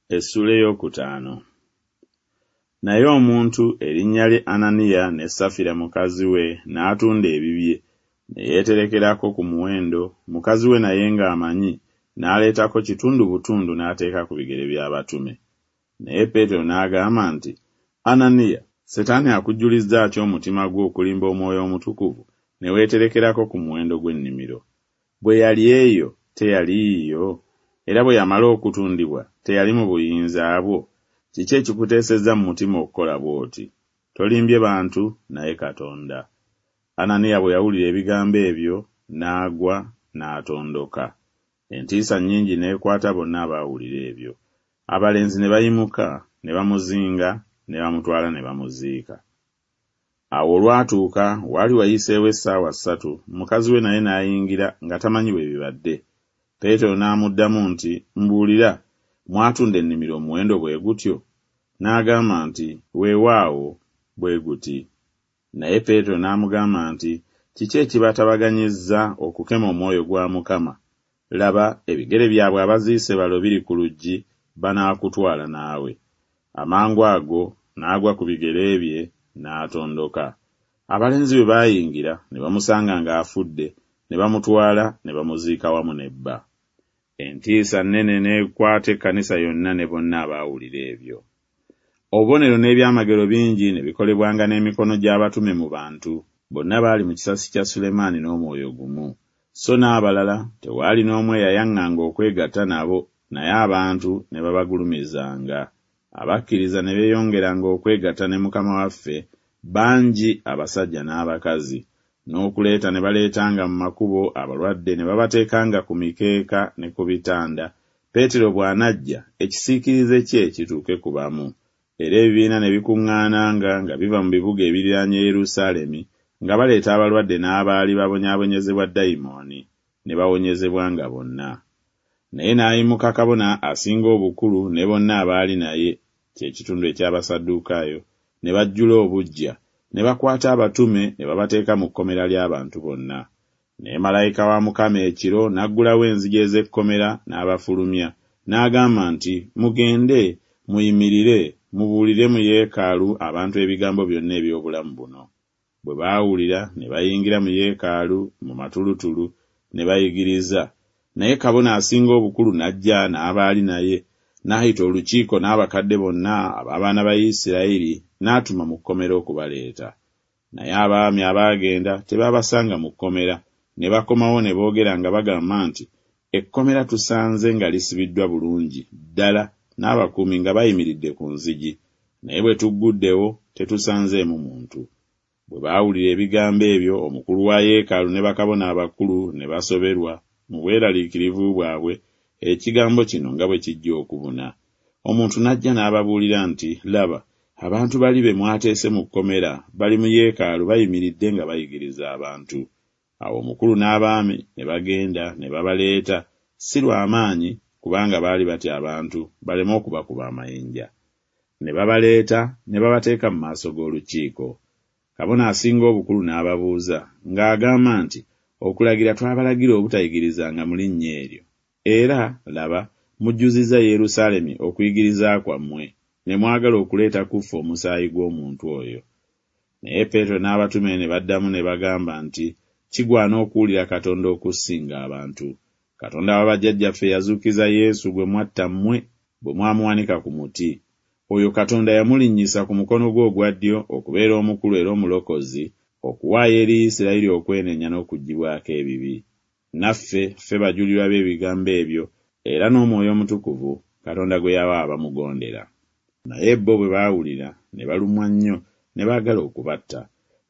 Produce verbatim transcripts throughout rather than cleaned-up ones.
Essuula ey'okutaano. Naye omuntu erinnya lye Ananiya ne Safira mukazi we n'atunda ebibye, ne yeeterekerako ku muwendo, mukazi we naye ng'amanyi, n'aleetako kitundu butundu n'ateeka ku bigere by'abatume. Naye Peetero n'agamba nti, Ananiya, Setaani akujjulizza ki omutima gwo okulimba Omwoyo Omutukuvu, ne weeterekerako ku muwendo gw'ennimiro? Bwe yali eyo, teyali yiyo? Era bwe yamala okutundibwa, teyali mu buyinza bwo? Kiki ekikuteesezza mu mutima okukola bw'oti? Tolimbye bantu, naye Katonda. Ananiya bwe yawulira ebigambo ebyo, n'agwa, n'atondoka. Entiisa nnyingi n'ekwata bonna abaawulira ebyo. Abalenzi ne bayimuka, ne bamuzinga, ne bamutwala ne bamuziika. Awo olwatuuka, waali wayiseewo essaawa ssatu, mukazi we naye n'ayingira nga tamanyi bwe bibadde. Peetero n'amuddamu nti, Mbuulira, mwatunda ennimiro omuwendo bwe gutyo? N'agamba nti, Weewaawo, bwe guti. Naye Peetero n'amugamba nti, Kiki ekibatabaganyizza okukema omwoyo gwa Mukama? Laba, ebigere byabwe abaziise balo biri ku luggi, banaakutwala naawe. Amangu ago n'agwa ku bigere bye, n'atondoka. Abalenzi bwe baayingira, ne bamusanga ng'afudde, ne bamutwala ne bamuziika wamu ne bba. Entiisa nnene n'ekwata ekkanisa yonna ne bonna abaawulira ebyo. Obubonero n'ebyamagero bingi ne bikolebwanga n'emikono gy'abatume mu bantu. Bonna baali mu kisasi kya Sulemaani n'omwoyo gumu. So n'abalala tewaali n'omu eyayaŋŋanga okwegatta nabo, naye abantu ne babagulumizanga. Abakkiriza ne beeyongeranga okwegatta ne Mukama waffe, bangi abasajja n'abakazi. N'okuleeta ne baleetanga mu makubo abalwadde ne babateekanga ku mikeeka ne ku bitanda, Peetero bw'anajja ekisiikirize kye kituuke ku bamu. Era ebibiina ne bikuŋŋaananga nga biva mu bibuga ebiriraanye Yerusaalemi, nga baleeta abalwadde n'abaali babonyaabonyezebwa dayimooni, ne bawonyezebwanga bonna. Naye n'ayimuka kabona asinga obukulu ne bonna abaali naye, kye kitundu eky'Abasaddukaayo, ne bajjula obuggya, ne bakwata abatume ne babateeka mu kkomera ly'abantu bonna. Naye malayika wa Mukama ekiro n'aggulawo enzigi ez'ekkomera n'abafulumya, n'agamba nti, Mugende, muyimirire, mubuulire mu yeekaalu abantu ebigambo byonna eby'obulamu buno. Bwe baawulira ne bayingira mu yeekaalu mu matulutulu, ne bayigiriza. Naye kabona asinga obukulu n'ajja n'abaali naye, n'ayita olukiiko n'abakadde bonna ab'abaana ba Isirayiri, n'atuma mu kkomera okubaleeta. Naye abaami abaagenda tebaabasanga mu kkomera, ne bakomawo ne boogera nga bagamba nti, Ekkomera tusanze nga lisibiddwa bulungi ddala n'abakuumi nga bayimiridde ku nzigi, naye bwe tugguddewo tetusanzeemu muntu. Bwe baawulira ebigambo ebyo, omukulu wa yeekaalu ne bakabona abakulu ne basoberwa mu bweraliikirivu bwabwe ekigambo kino nga bwe kijja okubuna. Omuntu n'ajja n'ababuulira nti, Laba, abantu bali be mwateese mu kkomera bali mu yeekaalu bayimiridde nga bayigiriza abantu. Awo omukulu n'abaami ne bagenda ne babaleeta, si lwa maanyi, kubanga baali batya abantu baleme okubakuba amayinja. Ne babaleeta ne babateeka mu maaso g'olukiiko. Kabona asinga obukulu n'ababuuza ng'agamba nti, Okulagira twabalagira obutayigirizanga mu linnya eryo. Era, laba, mujjuzizza Yerusaalemi okuyigiriza kwammwe, ne mwagala okuleeta ku ffe omusaayi gw'omuntu oyo. Naye Peetero n'abatume ne baddamu ne bagamba nti, Kigwana okuwulira Katonda okusinga abantu. Katonda wa bajjajjaffe yazuukiza Yesu gwe mwatta mmwe, bwe mwamuwanika ku muti. Oyo Katonda yamulinnyisa ku mukono gwe ogwa ddyo okubeera omukulu era omulokozi, okuwaayo eri Isirayiri okwenenya n'okuggyibwako ebibi. Naffe ffe bajulirwa b'ebigambo ebyo, era n'Omwoyo Omutukuvu, Katonda gwe yawa abamugondera. Naye bo bwe baawulira, ne balumwa nnyo, ne baagala okubatta.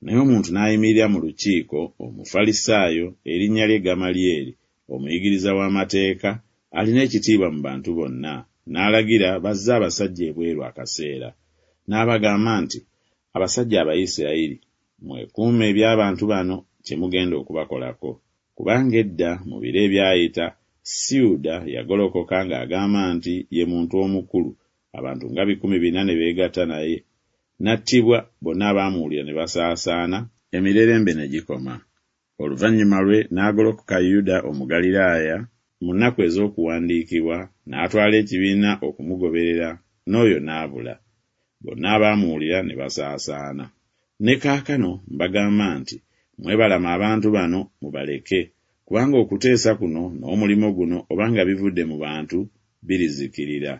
Naye omuntu n'ayimirira mu lukiiko, Omufalisaayo, erinnya lye Gamalyeri, omuyigiriza w'amateeka, alina ekitiibwa mu bantu bonna, n'alagira bazze abasajja ebweru akaseera. N'abagamba nti, Abasajja Abayisirayiri, mwekuume eby'abantu bano kye mugenda okubakolako. Kubanga edda mu biro ebyayita, Siyuda yagolokoka ng'agamba nti ye muntu omukulu, abantu nga bikumi bina ne beegatta naye. N'attibwa, bonna abaamuwulira ne basaasaana, emirerembe ne gikoma. Oluvannyuma lwe n'agolokoka Yuda Omugaliraaya, mu nnaku ez'okuwandiikibwa, n'atwala ekibiina okumugoberera, n'oyo n'abula. Bonna abaamuwulira ne basaasaana. Ne kaakano mbagamba nti Mwebalame abantu bano, mubaleke, kubanga okuteesa kuno n'omulimu guno oba nga bivudde mu bantu, birizikirira.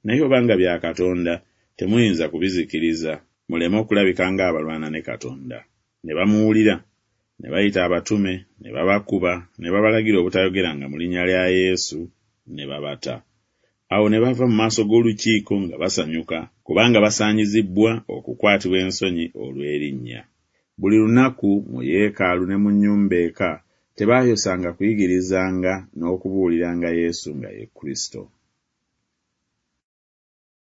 Naye oba nga bya Katonda, temuyinza kubizikiriza, muleme okulabika ng'abalwana ne Katonda. Ne bamuwulira. Ne bayita abatume, ne babakuba, ne babalagira obutayogeranga mu linnya lya Yesu, ne babata. Awo ne bava mu maaso g'olukiiko nga basanyuka, kubanga basaanyizibbwa okukwatibwa ensonyi olw'erinnya. Buli lunaku mu yeekaalu ne mu nnyumba eka tebaayosanga kuyigirizanga n'okubuuliranga Yesu nga ye Kristo.